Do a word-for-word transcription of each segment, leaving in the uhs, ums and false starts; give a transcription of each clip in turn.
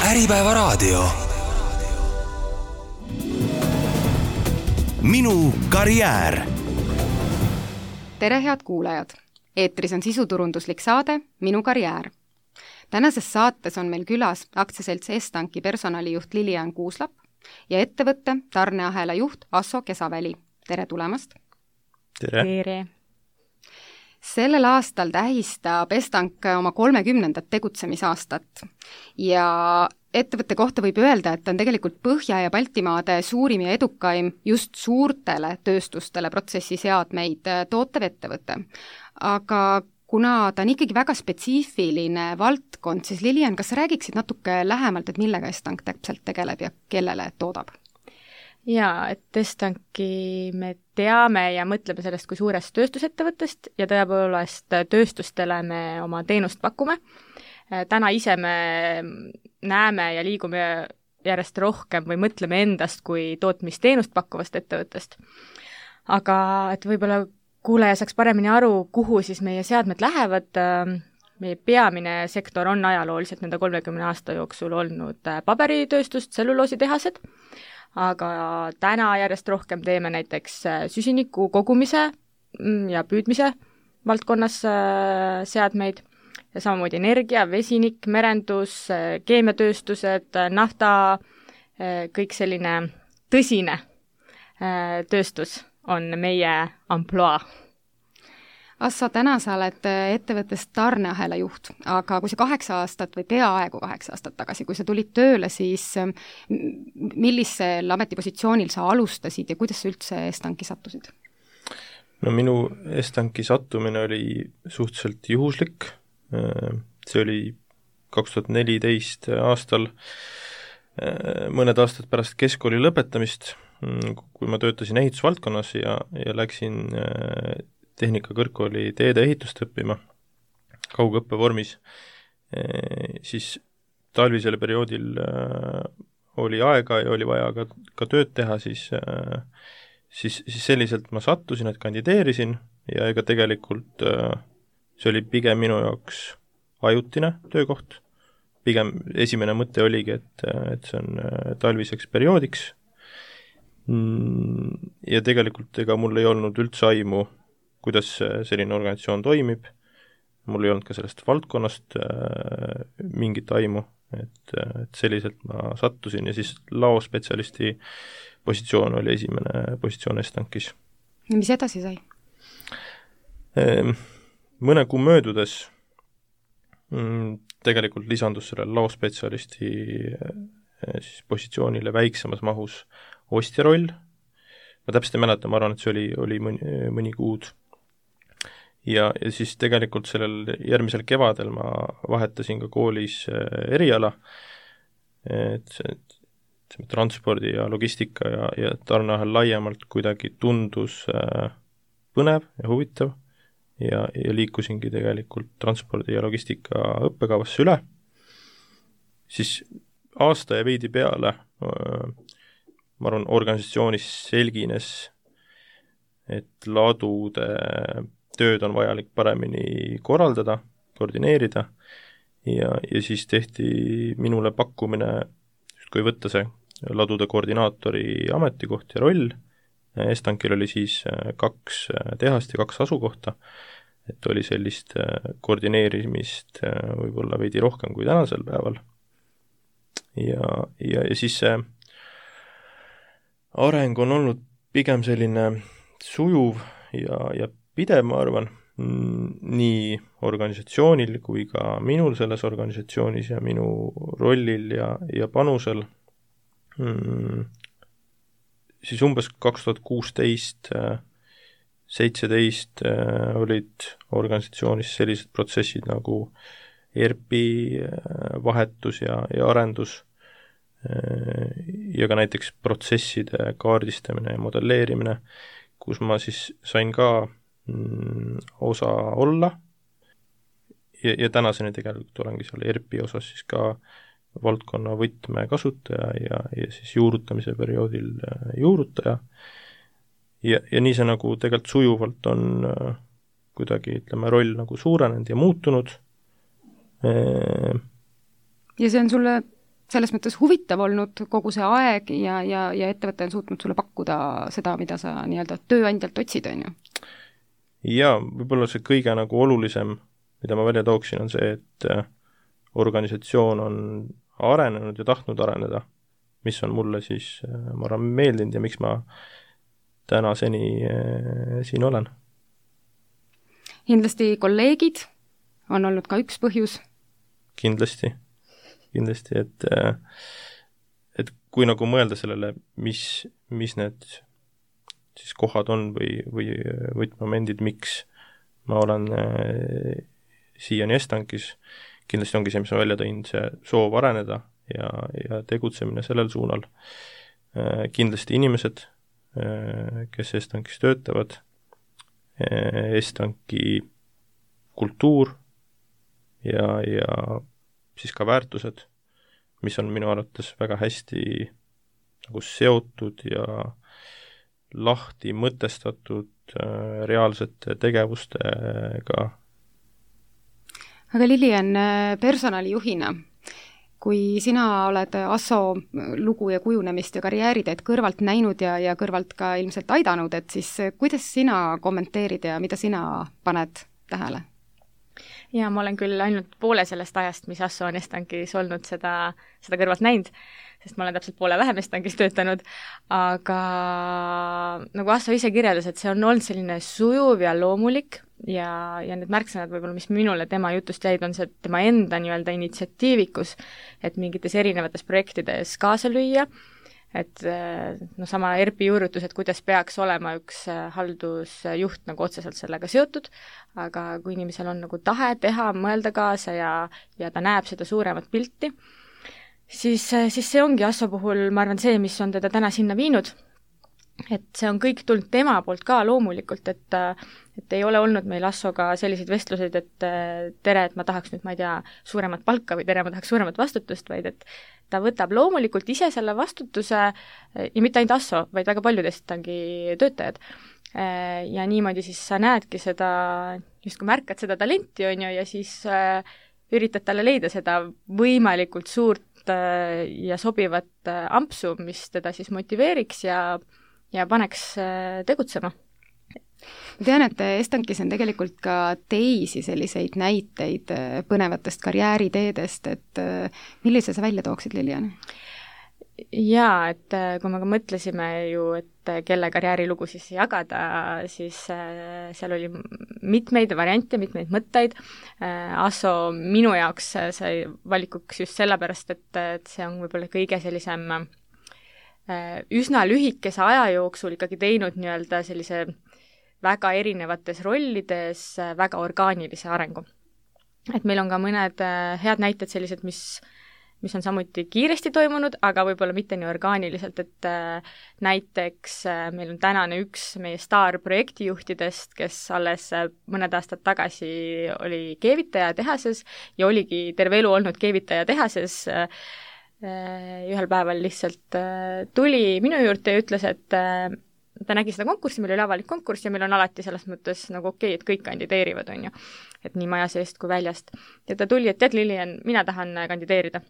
Äripäevaraadio. Minu karjäär. Tere, head kuulajad! Eetris on sisuturunduslik saade Minu karjäär. Tänases saates on meil külas aktsiaselts Estanki personalijuht Lilian Kuuslap ja ettevõtte tarneahela juht Asso Kesaväli. Tere tulemast! Tere! Tere! Sellel aastal tähistab Estank oma kolmekümnendat tegutsemisaastat ja ettevõtte kohta võib öelda, et on tegelikult Põhja- ja Baltimaade suurim ja edukaim just suurtele tööstustele protsessiseadmeid tootev ettevõte. Aga kuna ta on ikkagi väga spetsiifiline valdkond, siis Lilian, kas sa räägiksid natuke lähemalt, et millega Estank täpselt tegeleb ja kellele toodab? Jaa, et Estanki me teame ja mõtleme sellest kui suurest tööstusettevõttest ja tõepoolest tööstustele me oma teenust pakume. Täna ise me näeme ja liigume järjest rohkem või mõtleme endast kui tootmisteenust pakkuvast ettevõttest. Aga et võib-olla kuulaja saaks paremini aru, kuhu siis meie seadmed lähevad, meie peamine sektor on ajalooliselt nende kolmekümne aasta jooksul olnud paberitööstust, tselluloositehased, aga täna järjest rohkem teeme näiteks süsiniku kogumise ja püüdmise valdkonnas seadmeid ja samamoodi energia, vesinik, merendus, keemiatööstused, nafta, kõik selline tõsine tööstus on meie amploa. Asso, täna sa oled ettevõttest tarneahela juht, aga kui sa kaheksa aastat või peaaegu kaheksa aastat tagasi, kui sa tulid tööle, siis millisel ametipositsioonil sa alustasid ja kuidas sa üldse Estanki sattusid? No minu Estanki sattumine oli suhteliselt juhuslik. See oli kaks tuhat neliteist aastal, mõned aastad pärast keskkooli lõpetamist, kui ma töötasin ehitusvaldkonnas ja, ja läksin tehnikakõrgkooli teede ehitust õppima kaugõppe vormis, siis talvisel perioodil oli aega ja oli vaja ka, ka tööd teha, siis, siis, siis selliselt ma sattusin, et kandideerisin ja ega tegelikult see oli pigem minu jaoks ajutine töökoht. Pigem esimene mõte oligi, et, et see on talviseks perioodiks ja tegelikult ega mul ei olnud üldse aimu, kuidas selline organisatsioon toimib. Mul ei olnud ka sellest valdkonnast äh, mingit aimu, et, et selliselt ma sattusin ja siis laospetsialisti positsioon oli esimene positsioon Estankis. Ja mis edasi sai? E, mõne kuu möödudes mm, tegelikult lisandus selle laospetsialisti e, siis positsioonile väiksemas mahus ostja roll. Ma täpselt ei mäleta, ma arvan, et see oli, oli mõni, mõni kuud. Ja, ja siis tegelikult sellel järgmisel kevadel ma vahetasin ka koolis eriala, et see, see transpordi ja logistika ja, ja tarneahel laiemalt kuidagi tundus põnev ja huvitav ja, ja liikusingi tegelikult transpordi ja logistika õppekavasse üle. Siis aasta ja veidi peale ma arvan, organisatsioonis selgines, et ladude tööd on vajalik paremini korraldada, koordineerida ja, ja siis tehti minule pakkumine, kui võtta see ladude koordinaatori ametikoht ja roll. Estankil oli siis kaks tehast ja kaks asukohta, et oli sellist koordineerimist võib-olla veidi rohkem kui tänasel päeval. Ja, ja, ja siis see areng on olnud pigem selline sujuv ja, ja pidev, ma arvan, nii organisatsioonil kui ka minul selles organisatsioonis ja minu rollil ja, ja panusel. Siis umbes kaks tuhat kuusteist seitseteist olid organisatsioonis sellised protsessid nagu E R P vahetus ja, ja arendus ja ka näiteks protsesside kaardistamine ja modelleerimine, kus ma siis sain ka mm, osa olla ja, ja tänaseni tegelikult olengi seal E R P osas siis ka valdkonna võtme kasutaja ja, ja siis juurutamise perioodil juurutaja ja, ja nii see nagu tegelikult sujuvalt on äh, kuidagi, ütleme, roll nagu suurenenud ja muutunud. Ja see on sulle selles mõttes huvitav olnud kogu see aeg ja, ja, ja ettevõte on suutnud sulle pakkuda seda, mida sa nii-öelda tööandjalt otsid, on ju? Jaa, võib-olla see kõige nagu olulisem, mida ma välja tooksin, on see, et organisatsioon on arenenud ja tahtnud areneda, mis on mulle siis, ma arvan, meeldinud ja miks ma tänaseni siin olen. Kindlasti kolleegid on olnud ka üks põhjus? Kindlasti, kindlasti, et et kui nagu mõelda sellele, mis, mis need siis kohad on või, või võtmomendid, miks ma olen siiani Estankis, kindlasti ongi see, mis ma välja tõin, see soov areneda ja, ja tegutsemine sellel suunal. Kindlasti inimesed, kes Estankis töötavad, Estanki kultuur ja, ja siis ka väärtused, mis on minu arvates väga hästi nagu seotud ja lahti mõtestatud äh, reaalsete tegevustega. Aga Lilian, personalijuhina, kui sina oled Asso lugu ja kujunemist ja karjääriteed kõrvalt näinud ja, ja kõrvalt ka ilmselt aidanud, et siis kuidas sina kommenteerid ja mida sina paned tähele? Ja ma olen küll ainult poole sellest ajast, mis Asso on Estankis olnud, seda, seda kõrvalt näinud, sest ma olen täpselt poole vähem Estankis töötanud, aga nagu Asso ise kirjeldas, et see on olnud selline sujuv ja loomulik ja, ja need märksõnad võib-olla, mis minule tema jutust jäid, on see tema enda nii-öelda initsiatiivikus, et mingites erinevates projektides kaasa lüüa, et no sama E R P-i juurutus, et kuidas peaks olema üks haldusjuht nagu otseselt sellega seotud, aga kui inimesel on nagu tahe teha, mõelda kaasa ja, ja ta näeb seda suuremat pilti, siis, siis see ongi Asso puhul, ma arvan, see, mis on teda täna sinna viinud. Et see on kõik tulnud tema poolt ka loomulikult, et, et ei ole olnud meil Assoga selliseid vestluseid, et tere, et ma tahaks nüüd, ma ei tea, suuremat palka või tere, ma tahaks suuremat vastutust, vaid et ta võtab loomulikult ise selle vastutuse ja mitte ainult Asso, vaid väga paljudest tangi töötajad. Ja niimoodi siis sa näedki seda, just kui märkad seda talenti, on ju, ja siis üritad talle leida seda võimalikult suurt ja sobivat ampsu, mis teda siis motiveeriks ja ja paneks tegutsema. Ma tean, et Estankis on tegelikult ka teisi selliseid näiteid põnevatest karjääriteedest, et millise sa välja tooksid, Lilian? Jaa, et kui me ka mõtlesime ju, et kelle karjäärilugu siis jagada, siis seal oli mitmeid variante, mitmeid mõtteid. Asso minu jaoks sai valikuks just sellepärast, et, et see on võib-olla kõige sellisem üsna lühikese aja jooksul ikkagi teinud nii-öelda sellise väga erinevates rollides väga orgaanilise arengu. Et meil on ka mõned head näited sellised, mis, mis on samuti kiiresti toimunud, aga võib-olla mitte nii orgaaniliselt, et näiteks meil on tänane üks meie staarprojektijuhtidest, kes alles mõned aastad tagasi oli keevitaja tehases ja oligi terve elu olnud keevitaja tehases. Ühel päeval lihtsalt tuli minu juurde ja ütles, et ta nägi seda konkurssi, meil oli avalik konkurss ja meil on alati selles mõttes nagu okei, et kõik kandideerivad, on ju, et nii maja seest kui väljast. Ja ta tuli, et tead, Lilian, mina tahan kandideerida.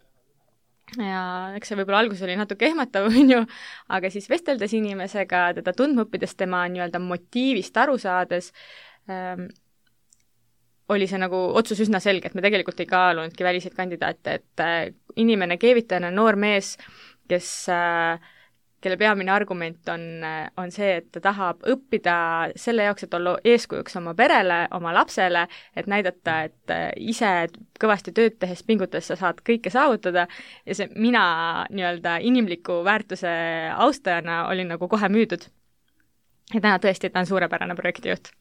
Ja eks see võib-olla alguses oli natuke ehmatav, on ju, aga siis vesteldes inimesega, teda tundma õppides, tema nii-öelda motiivist aru saades, ähm, oli see nagu otsus üsna selge, et me tegelikult ei kaalunudki väliseid kandidaate, et äh, inimene, keevitajana noor mees, kes, äh, kelle peamine argument on, on see, et ta tahab õppida selle jaoks, et olla eeskujuks oma perele, oma lapsele, et näidata, et äh, ise kõvasti tööd tehes, pingutades sa saad kõike saavutada ja see mina nii-öelda inimliku väärtuse austajana olin nagu kohe müüdud. Ja täna tõesti, ta on suurepärane projektijuht.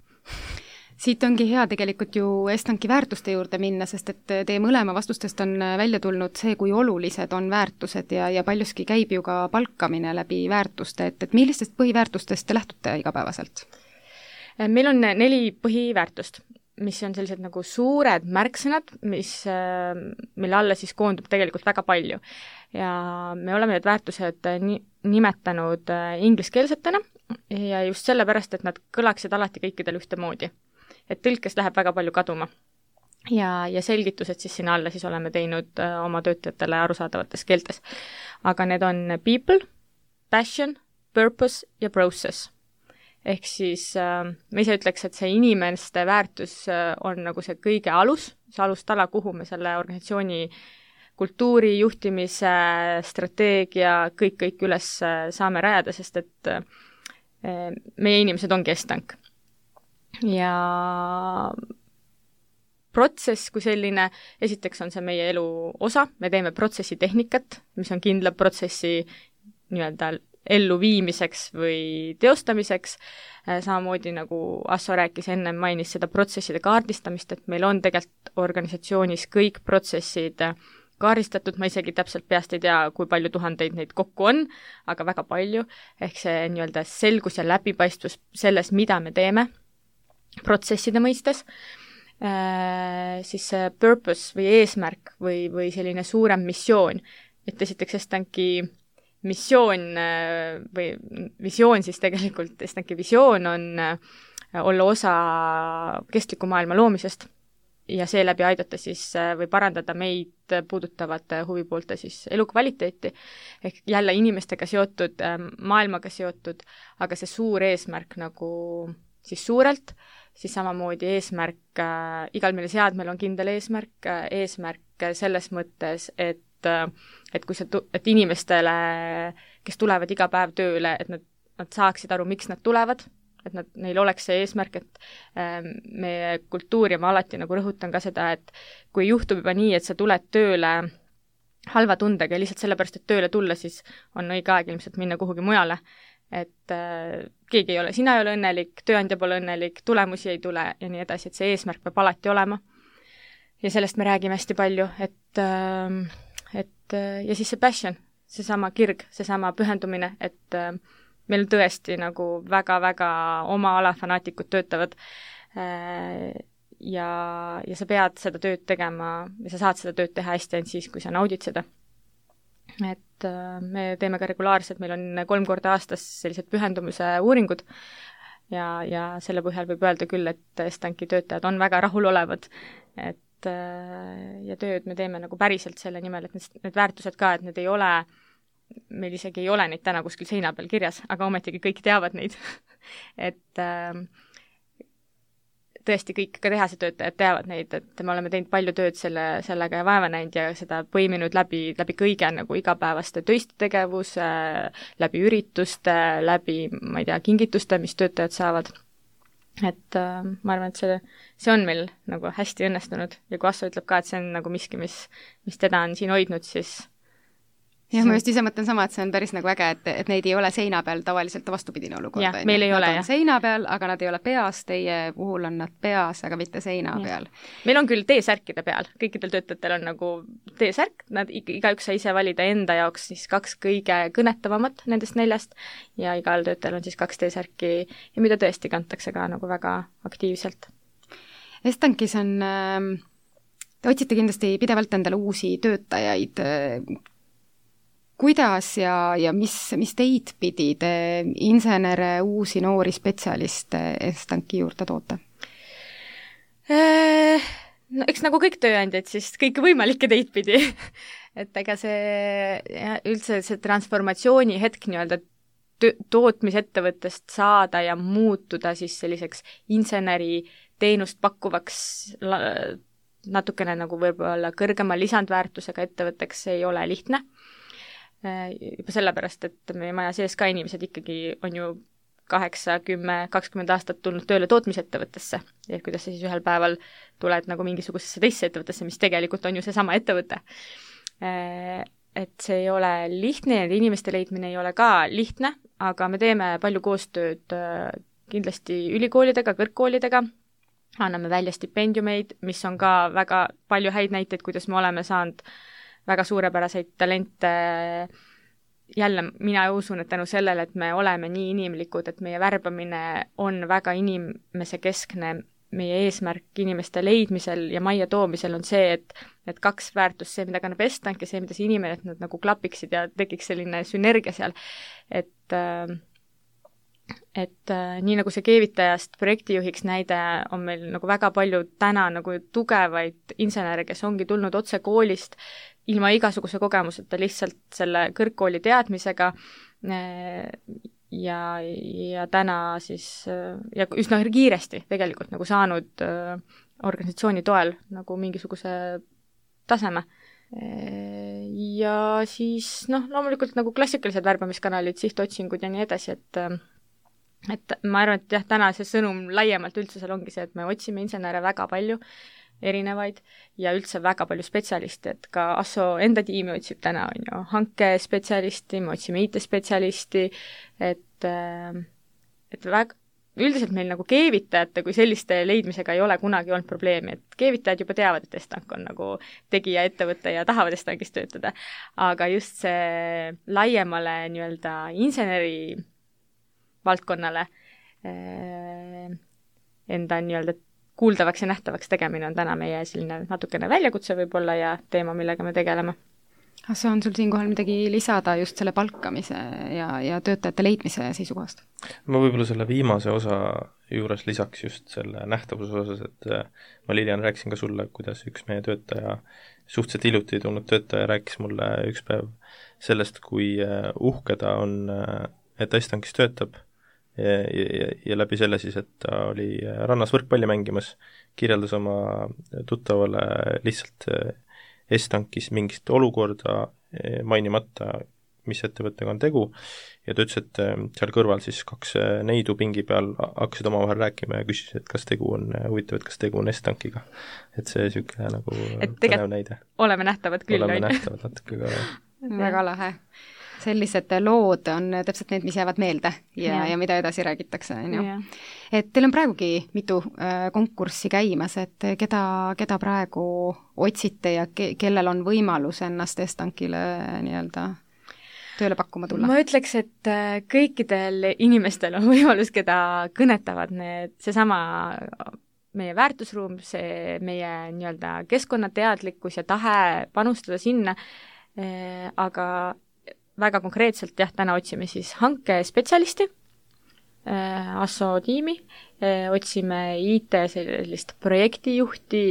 Siit ongi hea tegelikult ju Estanki väärtuste juurde minna, sest et teie mõlema vastustest on välja tulnud see, kui olulised on väärtused ja, ja paljuski käib ju ka palkamine läbi väärtuste, et, et millistest põhiväärtustest te lähtute igapäevaselt? Meil on neli põhiväärtust, mis on sellised nagu suured märksõnad, mis, mille alla siis koondub tegelikult väga palju. Ja me oleme need väärtused ni- nimetanud ingliskeelsetena ja just sellepärast, et nad kõlaksid alati kõikidel ühtemoodi. Et tõlkes läheb väga palju kaduma. ja, ja selgitused siis sinna alla siis oleme teinud äh, oma töötajatele arusaadavates keeltes. aga need on people, passion, purpose ja process. ehk siis äh, ma ise ütleks, et see inimeste väärtus äh, on nagu see kõige alus, see alustala, kuhu me selle organisatsiooni kultuuri, juhtimise, strateegia, kõik, kõik üles saame rajada, sest et äh, meie inimesed ongi Estank. Ja protsess kui selline, esiteks on see meie elu osa, me teeme protsessi tehnikat, mis on kindla protsessi nii-öelda elluviimiseks või teostamiseks, samamoodi nagu Asso rääkis enne, mainis seda protsesside kaardistamist, et meil on tegelikult organisatsioonis kõik protsessid kaardistatud, ma isegi täpselt peast ei tea, kui palju tuhandeid neid kokku on, aga väga palju, ehk see nii-öelda selgus ja läbipaistvus selles, mida me teeme protsesside mõistes, äh, siis see purpose või eesmärk või, või selline suurem missioon, et esiteks Estanki missioon või visioon siis tegelikult, Estanki visioon on olla osa kestliku maailma loomisest ja seeläbi aidata siis või parandada meid puudutavate huvipoolte siis elukvaliteeti, ehk jälle inimestega seotud, maailmaga seotud, aga see suur eesmärk nagu siis suurelt, siis samamoodi eesmärk, igal meil seadmel on kindel eesmärk, eesmärk selles mõttes, et et kui see, et inimestele, kes tulevad iga päev tööle, et nad, nad saaksid aru, miks nad tulevad, et nad, neil oleks see eesmärk, et äh, meie kultuur ja ma alati nagu rõhutan ka seda, et kui juhtub juba nii, et sa tuled tööle halva tundega ja lihtsalt sellepärast, et tööle tulla, siis on õige aeg ilmselt minna kuhugi mujale. Et äh, keegi ei ole, sina ei ole õnnelik, tööandja pole õnnelik, tulemusi ei tule ja nii edasi, et see eesmärk peab alati olema. Ja sellest me räägime hästi palju, et äh, et ja siis see passion, seesama kirg, seesama pühendumine, et äh, meil tõesti nagu väga-väga oma ala fanaatikud töötavad äh, ja, ja sa pead seda tööd tegema ja sa saad seda tööd teha hästi ainult siis, kui sa naudid seda. Et äh, me teeme ka regulaarselt, meil on kolm korda aastas sellised pühendumise uuringud ja, ja selle põhjal võib öelda küll, et Estanki töötajad on väga rahulolevad, et ja tööd me teeme nagu päriselt selle nimel, et need, need väärtused ka, et need ei ole, meil isegi ei ole neid täna kuskil seina peal kirjas, aga ometigi kõik teavad neid et äh, tõesti kõik ka tehase töötajad teavad neid, et me oleme teinud palju tööd selle, sellega ja vaeva näinud ja seda põiminud läbi, läbi kõige nagu igapäevaste töiste tegevuse, läbi ürituste, läbi, ma ei tea, kingituste, mis töötajad saavad. Et äh, ma arvan, et see, see on meil nagu hästi õnnestunud ja kui Asso ütleb ka, et see on nagu miski, mis, mis teda on siin hoidnud, siis jah, ma just ise mõtlen sama, et see on päris nagu äge, et, et neid ei ole seina peal tavaliselt vastupidine olukord. jah, meil ei nad ole, jah. seina peal, aga nad ei ole peas, teie puhul on nad peas, aga mitte seina ja. peal. Meil on küll T-särkide peal, kõikidel töötajatel on nagu T-särk, nad igaüks sai ise valida enda jaoks siis kaks kõige kõnetavamat nendest neljast ja igal töötajal on siis kaks T-särki ja mida tõesti kantakse ka nagu väga aktiivselt. Estankis on, te otsite kindlasti pidevalt endale uusi töötajaid. Kuidas ja, ja mis, mis teid pidi te insenere, uusi noori spetsialiste Estanki juurde toote? No eks nagu kõik tööandjad, siis kõike võimalikke teid pidi. et ega see ja, üldse see transformatsiooni hetk nii-öelda tootmisettevõttest saada ja muutuda siis selliseks inseneri teenust pakkuvaks natukene nagu võib-olla kõrgema lisandväärtusega ettevõtteks ei ole lihtne. Juba sellepärast, et meie maja sees ka inimesed ikkagi on ju kaheksa, kümme, kakskümmend aastat tulnud tööle tootmisettevõttesse ja kuidas sa siis ühel päeval tuled nagu mingisugusesse teisse ettevõttesse, mis tegelikult on ju seesama ettevõte. Et see ei ole lihtne ja inimeste leidmine ei ole ka lihtne, aga me teeme palju koostööd kindlasti ülikoolidega, kõrgkoolidega, anname välja stipendiumeid, mis on ka väga palju häid näiteid, kuidas me oleme saanud väga suurepäraseid talente. Jälle mina usun, et tänu sellele, et me oleme nii inimlikud, et meie värbamine on väga inimese keskne, meie eesmärk inimeste leidmisel ja majja toomisel on see, et, et kaks väärtust, see, mida kannab Estank ja see, mida see inimene, et nad nagu klapiksid ja tekiks selline sünergia seal. Et, et äh, nii nagu see keevitajast projektijuhiks näide, on meil nagu väga palju täna nagu tugevaid insenere, kes ongi tulnud otse koolist ilma igasuguse kogemuseta, lihtsalt selle kõrgkooli teadmisega äh, ja, ja täna siis äh, ja üsna kiiresti tegelikult nagu saanud äh, organisatsiooni toel nagu mingisuguse taseme. Ja siis noh, loomulikult nagu klassikalised värbamiskanalid, sihtotsingud ja nii edasi, et et ma arvan, et jah, täna see sõnum laiemalt üldse seal ongi see, et me otsime insenere väga palju, erinevaid, ja üldse väga palju spetsialiste, et ka Asso enda tiimi otsib täna, on ju, hankespetsialisti, me otsime I T-spetsialisti, et et väga üldiselt meil nagu keevitajate kui selliste leidmisega ei ole kunagi olnud probleemi, et keevitajad juba teavad, et Estank on nagu tegija ettevõte ja tahavad Estankis töötada, aga just see laiemale nii-öelda inseneri valdkonnale eh, enda nii-öelda kuuldavaks ja nähtavaks tegemine on täna meie selline natukene väljakutse võib-olla ja teema, millega me tegeleme. Kas on sul siinkohal midagi lisada just selle palkamise ja, ja töötajate leidmise seisukohast? Ma võib-olla selle viimase osa juures lisaks just selle nähtavuse osas, et ma Lilian rääkisin ka sulle, kuidas üks meie töötaja, suhteliselt hiljuti tulnud töötaja rääkis mulle üks päev sellest, kui uhke ta on, et Estankis töötab ja, ja, ja läbi selle siis, et ta oli rannas võrkpalli mängimas, kirjeldas oma tuttavale lihtsalt Estankis mingit olukorda mainimata, mis ettevõttega on tegu, ja ta ütles, et seal kõrval siis kaks neidu pingi peal hakkasid omavahel rääkima ja küsisid, et kas tegu on, huvitav, et kas tegu on Estankiga. Et see niisugune nagu põnev näide. Oleme nähtavad küll. Oleme nähtavad natuke ka. Väga lahe. Sellised lood on täpselt need, mis jäävad meelde ja, ja. ja mida edasi räägitakse. Et teil on praegugi mitu äh, konkurssi käimas, et keda, keda praegu otsite ja ke, kellel on võimalus ennast Estankile nii-öelda tööle pakkuma tulla? Ma ütleks, et kõikidel inimestel on võimalus, keda kõnetavad need, seesama meie väärtusruum, see meie nii-öelda keskkonnateadlikkus ja tahe panustada sinna, äh, aga väga konkreetselt jah, täna otsime siis hankespetsialisti, äh, Asso tiimi, äh, otsime I T sellist projektijuhti,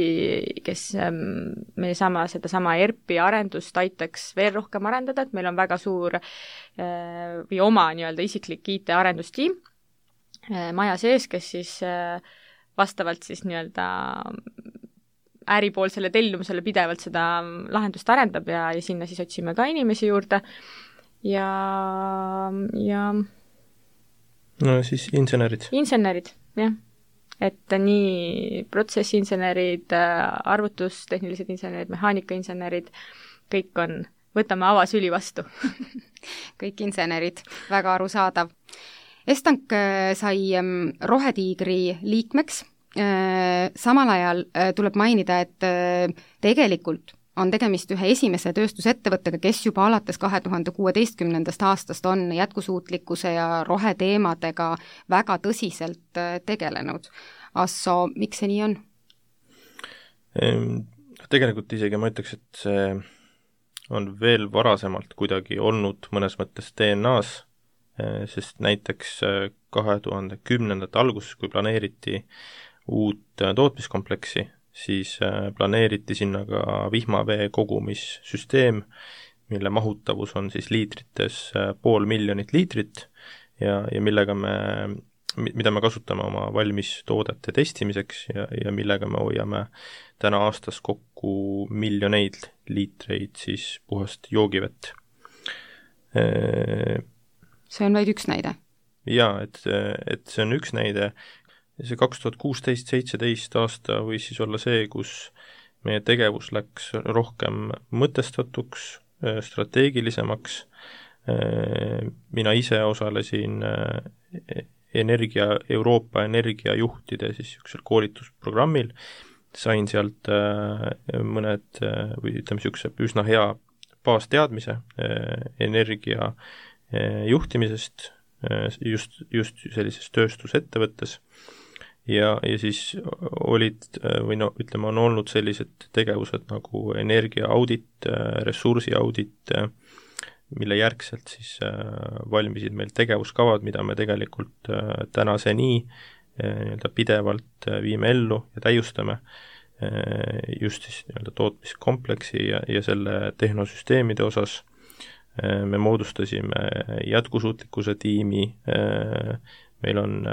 kes ähm, meie sama, seda sama E R P-i arendust aitaks veel rohkem arendada, et meil on väga suur äh, või oma nii-öelda isiklik I T arendustiim äh, maja sees, kes siis äh, vastavalt siis nii-öelda äripoolsele tellimusele pidevalt seda lahendust arendab ja, ja sinna siis otsime ka inimesi juurde. Ja, ja no siis insenerid. Insenerid, jah. Et nii protsessinsenerid, arvutustehnilised insenerid, mehaanikainsenerid, kõik on, võtame avasüli vastu. Kõik insenerid, väga arusaadav. Estank sai Rohetiigri liikmeks, samal ajal tuleb mainida, et tegelikult on tegemist ühe esimese tööstusettevõttega, kes juba alates kahe tuhande kuueteistkümnendast aastast on jätkusuutlikkuse ja roheteemadega väga tõsiselt tegelenud. Asso, miks see nii on? Tegelikult isegi ma ütleks, et see on veel varasemalt kuidagi olnud mõnes mõttes D N A-s, sest näiteks kahe tuhande kümnendate alguses, kui planeeriti uut tootmiskompleksi, siis planeeriti sinna ka vihmavee kogumissüsteem, mille mahutavus on siis liitrites pool miljonit liitrit ja, ja millega me, mida me kasutame oma valmistoodete testimiseks ja, ja millega me hoiame täna aastas kokku miljoneid liitreid siis puhast joogivett. See on vaid üks näide? Jaa, et, et see on üks näide. See kaks tuhat kuusteist seitseteist aasta võis siis olla see, kus meie tegevus läks rohkem mõtestatuks, strateegilisemaks. Mina ise osalesin energia, Euroopa energiajuhtide siis niisugusel koolitusprogrammil, sain sealt mõned või ütleme niisuguse üsna hea baasteadmise energia juhtimisest just, just sellises tööstusettevõttes. Ja, ja siis olid, või no ütleme, on olnud sellised tegevused nagu energiaaudit, ressursiaudit, mille järgselt siis valmisid meil tegevuskavad, mida me tegelikult tänaseni nii-öelda pidevalt viime ellu ja täiustame just siis nii-öelda tootmiskompleksi ja, ja selle tehnosüsteemide osas. Me moodustasime jätkusuutlikkuse tiimi, meil on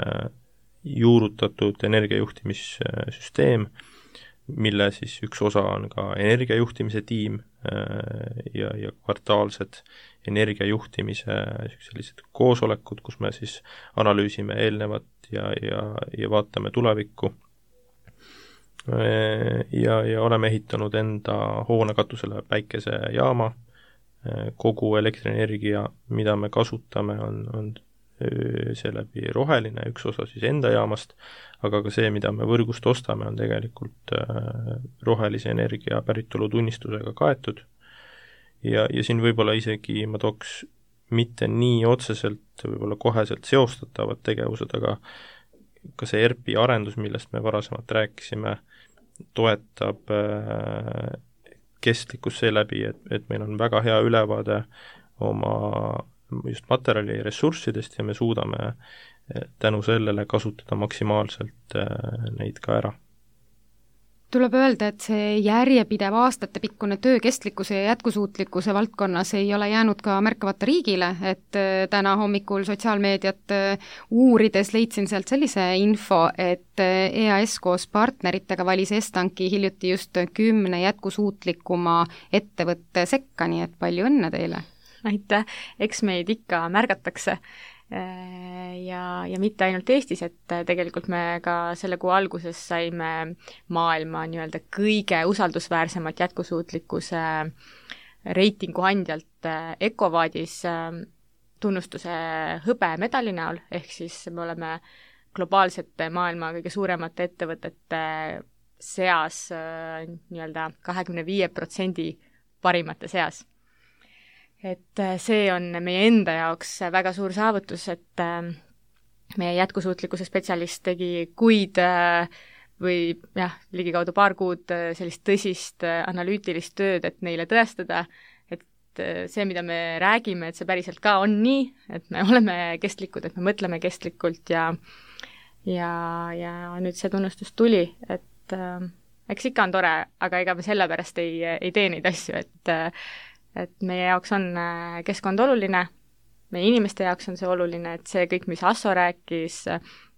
juurutatud energiajuhtimissüsteem, mille siis üks osa on ka energiajuhtimise tiim ja, ja kvartaalsed energiajuhtimise sellised koosolekud, kus me siis analüüsime eelnevat ja, ja, ja vaatame tulevikku. Ja, ja oleme ehitanud enda hoone katusele päikesejaama, kogu elektrienergia, mida me kasutame, on, on seeläbi roheline, üks osa siis enda jaamast, aga ka see, mida me võrgust ostame, on tegelikult rohelise energia päritolu tunnistusega kaetud. Ja, ja siin võib-olla isegi ma tooks mitte nii otseselt, võib-olla koheselt seostatavad tegevused, aga ka see E R P-i arendus, millest me varasemalt rääkisime, toetab kestlikkus seeläbi, et, et meil on väga hea ülevaade oma just materjali ressurssidest ja me suudame tänu sellele kasutada maksimaalselt neid ka ära. Tuleb öelda, et see järjepidev aastatepikkune töö kestlikkuse ja jätkusuutlikkuse valdkonnas ei ole jäänud ka märkamata riigile, et täna hommikul sotsiaalmeediat uurides leidsin sealt sellise info, et E A S koos partneritega valis Estanki hiljuti just kümne jätkusuutlikuma ettevõtte sekka, nii et palju õnne teile! Aitäh, eks meid ikka märgatakse ja, ja mitte ainult Eestis, et tegelikult me ka selle kuu alguses saime maailma nii-öelda kõige usaldusväärsemat jätkusuutlikkuse reitingu andjalt EcoVadis tunnustuse hõbemedali näol, ehk siis me oleme globaalsete maailma kõige suuremate ettevõtete seas nii-öelda kahekümne viie protsendi parimate seas. Et see on meie enda jaoks väga suur saavutus, et meie jätkusuutlikkuse spetsialist tegi kuid või jah, ligikaudu paar kuud sellist tõsist analüütilist tööd, et neile tõestada, et see, mida me räägime, et see päriselt ka on nii, et me oleme kestlikud, et me mõtleme kestlikult ja ja, ja nüüd see tunnustus tuli, et eks ikka on tore, aga ega me sellepärast ei, ei tee neid asju, et et meie jaoks on keskkond oluline, meie inimeste jaoks on see oluline, et see kõik, mis Asso rääkis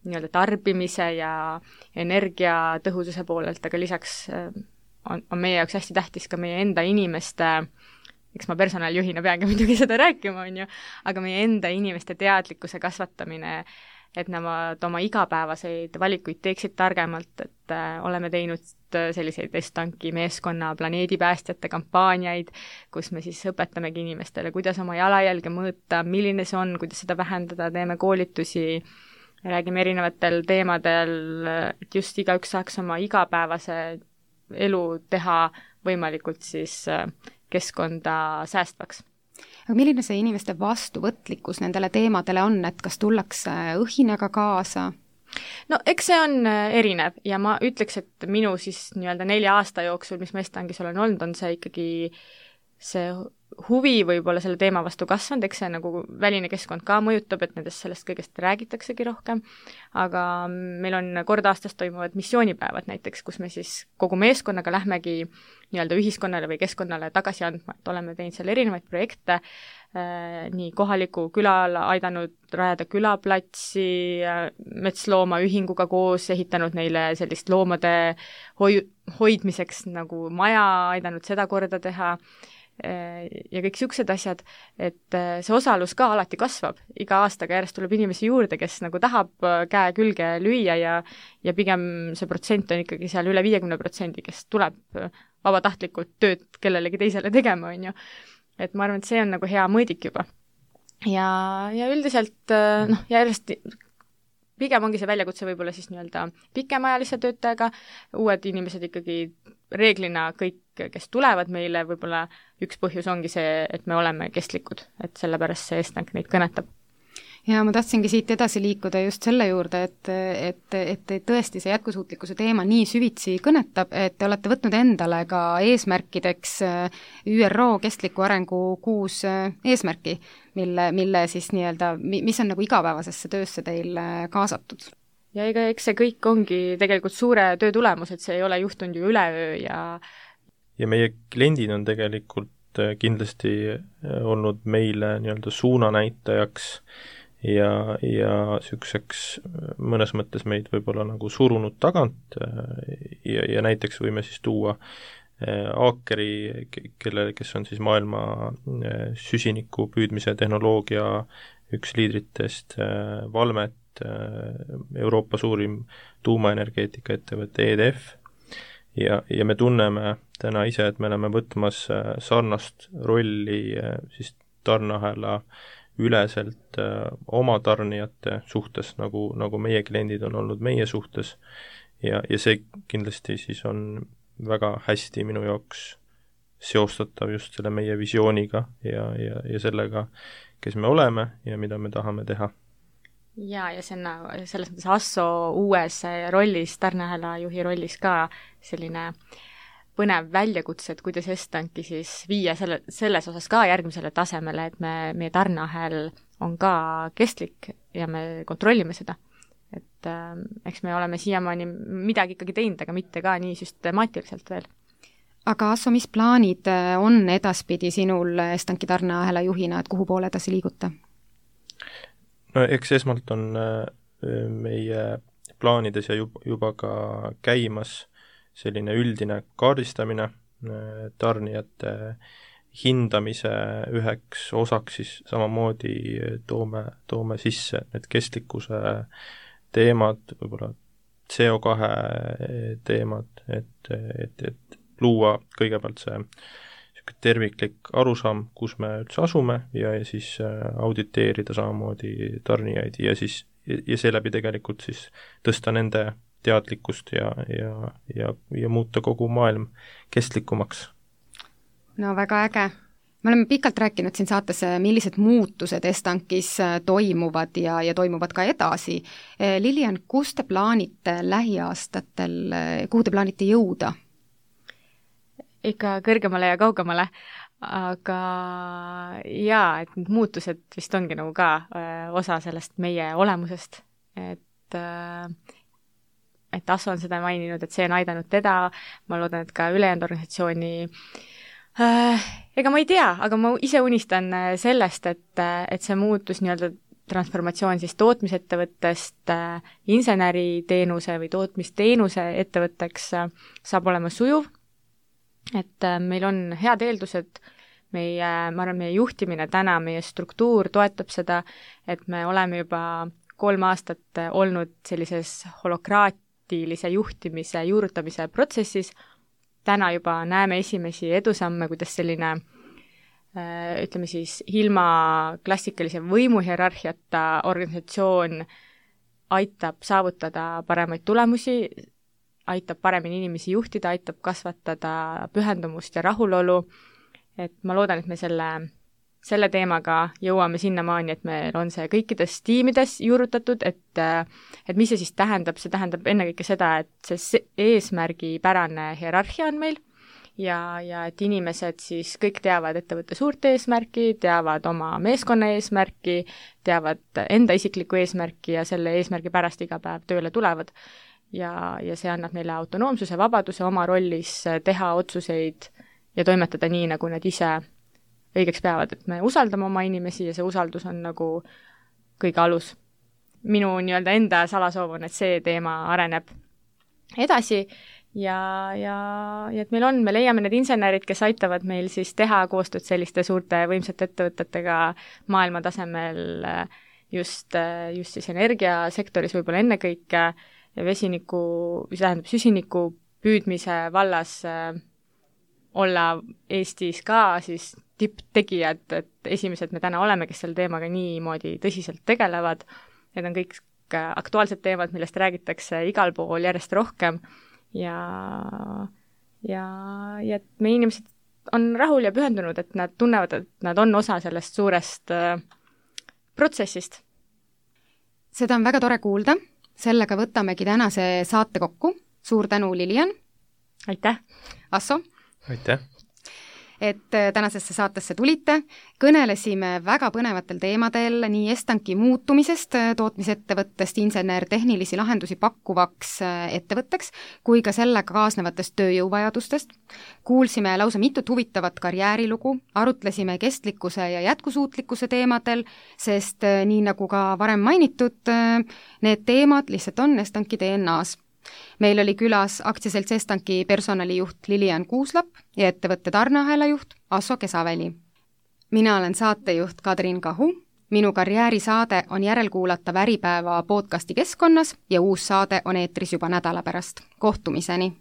nii-öelda tarbimise ja energiatõhususe poolelt, aga lisaks on, on meie jaoks hästi tähtis ka meie enda inimeste, eks ma personaaljuhina peangi muidugi seda rääkima, on ju, aga meie enda inimeste teadlikkuse kasvatamine, et nemad oma igapäevaseid valikuid teeksid targemalt, et äh, oleme teinud selliseid Estanki meeskonna planeedipäästjate kampaaniaid, kus me siis õpetamegi inimestele, kuidas oma jalajälge mõõta, milline see on, kuidas seda vähendada, teeme koolitusi, räägime erinevatel teemadel, et just igaüks saaks oma igapäevase elu teha võimalikult siis keskkonda säästvaks. Aga milline see inimeste vastuvõtlikkus nendele teemadele on, et kas tullakse õhinaga kaasa? No eks see on erinev ja ma ütleks, et minu siis nii-öelda nelja aasta jooksul, mis ma Estankis olen olnud, on see ikkagi see huvi võib-olla selle teema vastu kasvanud, eks see nagu väline keskkond ka mõjutab, et nendest sellest kõigest räägitaksegi rohkem, aga meil on kord aastas toimuvad missioonipäevad näiteks, kus me siis kogu meeskonnaga lähmegi nii-öelda ühiskonnale või keskkonnale tagasi andma, et oleme teinud seal erinevaid projekte, nii kohaliku külal aidanud rajada külaplatsi, metsloomaühinguga koos ehitanud neile sellist loomade hoi- hoidmiseks nagu maja, aidanud seda korda teha ja kõik niisugused asjad, et see osalus ka alati kasvab. Iga aastaga järjest tuleb inimesi juurde, kes nagu tahab käe külge lüüa ja, ja pigem see protsent on ikkagi seal üle viiekümne protsendi, kes tuleb vabatahtlikult tööd kellelegi teisele tegema, on ju. Et ma arvan, et see on nagu hea mõõdik juba. Ja, ja üldiselt noh, järjest pigem ongi see väljakutse võib-olla siis nii-öelda pikemaajalise töötajaga, uued inimesed ikkagi reeglina kõik, kes tulevad meile, võib-olla üks põhjus ongi see, et me oleme kestlikud, et sellepärast see Estank neid kõnetab. ja ma tahtsingi siit edasi liikuda just selle juurde, et, et, et tõesti see jätkusuutlikkuse teema nii süvitsi kõnetab, et te olete võtnud endale ka eesmärkideks Ü R O kestliku arengu kuus eesmärki, mille, mille siis nii-öelda, mis on nagu igapäevasesse töösse teil kaasatud. Ja ega eks see kõik ongi tegelikult suure töö tulemus, et see ei ole juhtunud ju üleöö ja ja meie kliendid on tegelikult kindlasti olnud meile nii-öelda suunanäitajaks ja, ja niisuguseks mõnes mõttes meid võib-olla nagu surunud tagant ja, ja näiteks võime siis tuua Aakeri, kelle, kes on siis maailma süsiniku püüdmise tehnoloogia üks liidritest, Valmet, Euroopa suurim tuumaenergeetika ettevõte E D F ja, ja me tunneme täna ise, et me oleme võtmas sarnast rolli siis tarneahela üleselt äh, oma tarnijate suhtes, nagu, nagu meie kliendid on olnud meie suhtes ja, ja see kindlasti siis on väga hästi minu jaoks seostatav just selle meie visiooniga ja, ja, ja sellega, kes me oleme ja mida me tahame teha. Ja, ja see on selles mõttes Asso uues rollis, tarneahela juhi rollis ka selline põnev väljakutse, et kuidas Estanki siis viia selle, selles osas ka järgmisele tasemele, et me, meie tarneahel on ka kestlik ja me kontrollime seda. Et äh, eks me oleme siiamaani midagi ikkagi teinud, aga mitte ka nii süstemaatiliselt veel. Aga Asso, mis plaanid on edaspidi sinul Estanki tarneahela juhina, et kuhu poole edasi liiguta? No eks esmalt on meie plaanides ja juba, juba ka käimas selline üldine kaardistamine, tarnijate hindamise üheks osaks siis samamoodi toome, toome sisse need kestlikkuse teemad, võib-olla C O kahe teemad, et, et, et luua kõigepealt see terviklik arusaam, kus me üldse asume ja, ja siis auditeerida samamoodi tarnijaid ja siis ja seeläbi tegelikult siis tõsta nende teadlikkust ja, ja, ja, ja muuta kogu maailm kestlikumaks. No väga äge. Me oleme pikalt rääkinud siin saates, millised muutused Estankis toimuvad ja, ja toimuvad ka edasi. Lilian, kus te plaanite lähiaastatel, kuhu te plaanite jõuda? Ikka kõrgemale ja kaugemale, aga jaa, et need muutused vist ongi nagu ka osa sellest meie olemusest, et et Asso on seda maininud, et see on aidanud teda, ma loodan, et ka ülejäänud organisatsiooni äh, ega ma ei tea, aga ma ise unistan sellest, et, et see muutus nii-öelda transformatsioon siis tootmisettevõttest äh, inseneriteenuse või tootmisteenuse ettevõtteks äh, saab olema sujuv, et äh, meil on head eeldused, meie, ma arvan, meie juhtimine täna, meie struktuur toetab seda, et me oleme juba kolm aastat olnud sellises holokraat juhtimise, juurutamise protsessis. Täna juba näeme esimesi edusamme, kuidas selline, ütleme siis, ilma klassikalise võimuhierarhiata organisatsioon aitab saavutada paremaid tulemusi, aitab paremini inimesi juhtida, aitab kasvatada pühendumust ja rahulolu, et ma loodan, et me selle selle teemaga jõuame sinnamaani, et meil on see kõikides tiimides juurutatud, et, et mis see siis tähendab, see tähendab ennekõike seda, et see eesmärgipärane hierarhia on meil ja, ja et inimesed siis kõik teavad ettevõtte suurt eesmärki, teavad oma meeskonna eesmärki, teavad enda isiklikku eesmärki ja selle eesmärgi pärast iga päev tööle tulevad. Ja, ja see annab neile autonoomsuse, vabaduse oma rollis teha otsuseid ja toimetada nii, nagu nad ise õigeks peavad, et me usaldame oma inimesi ja see usaldus on nagu kõige alus. Minu nii-öelda enda salasoov on, et see teema areneb edasi ja, ja, ja et meil on, me leiame need insenerid, kes aitavad meil siis teha koostööd selliste suurte võimsate ettevõtetega maailma tasemel just, just siis energiasektoris võib-olla ennekõike ja vesiniku, mis tähendab süsiniku püüdmise vallas olla Eestis ka siis tipptegijad, et esimesed me täna oleme, kes selle teemaga niimoodi tõsiselt tegelevad, need on kõik aktuaalsed teemad, millest räägitakse igal pool järjest rohkem ja, ja, ja et meie inimesed on rahul ja pühendunud, et nad tunnevad, et nad on osa sellest suurest äh, protsessist seda on väga tore kuulda, sellega võtamegi tänase saate kokku. Suur tänu, Lilian! Aitäh! Asso! Aitäh! Et tänasesse saatesse tulite, kõnelesime väga põnevatel teemadel nii Estanki muutumisest tootmisettevõttest insener-tehnilisi lahendusi pakkuvaks ettevõtteks, kui ka sellega kaasnevatest tööjõuvajadustest. Kuulsime lausa mitut huvitavat karjäärilugu, arutlesime kestlikkuse ja jätkusuutlikkuse teemadel, sest nii nagu ka varem mainitud, need teemad lihtsalt on Estanki D N A-s. Meil oli külas aktsiaselts Estanki personalijuht Lilian Kuuslap ja ettevõtte tarneahela juht Asso Kesaväli. Mina olen saatejuht Kadrin Kahu, minu karjäärisaade on järelkuulatav Äripäeva podcasti keskkonnas ja uus saade on eetris juba nädala pärast. Kohtumiseni!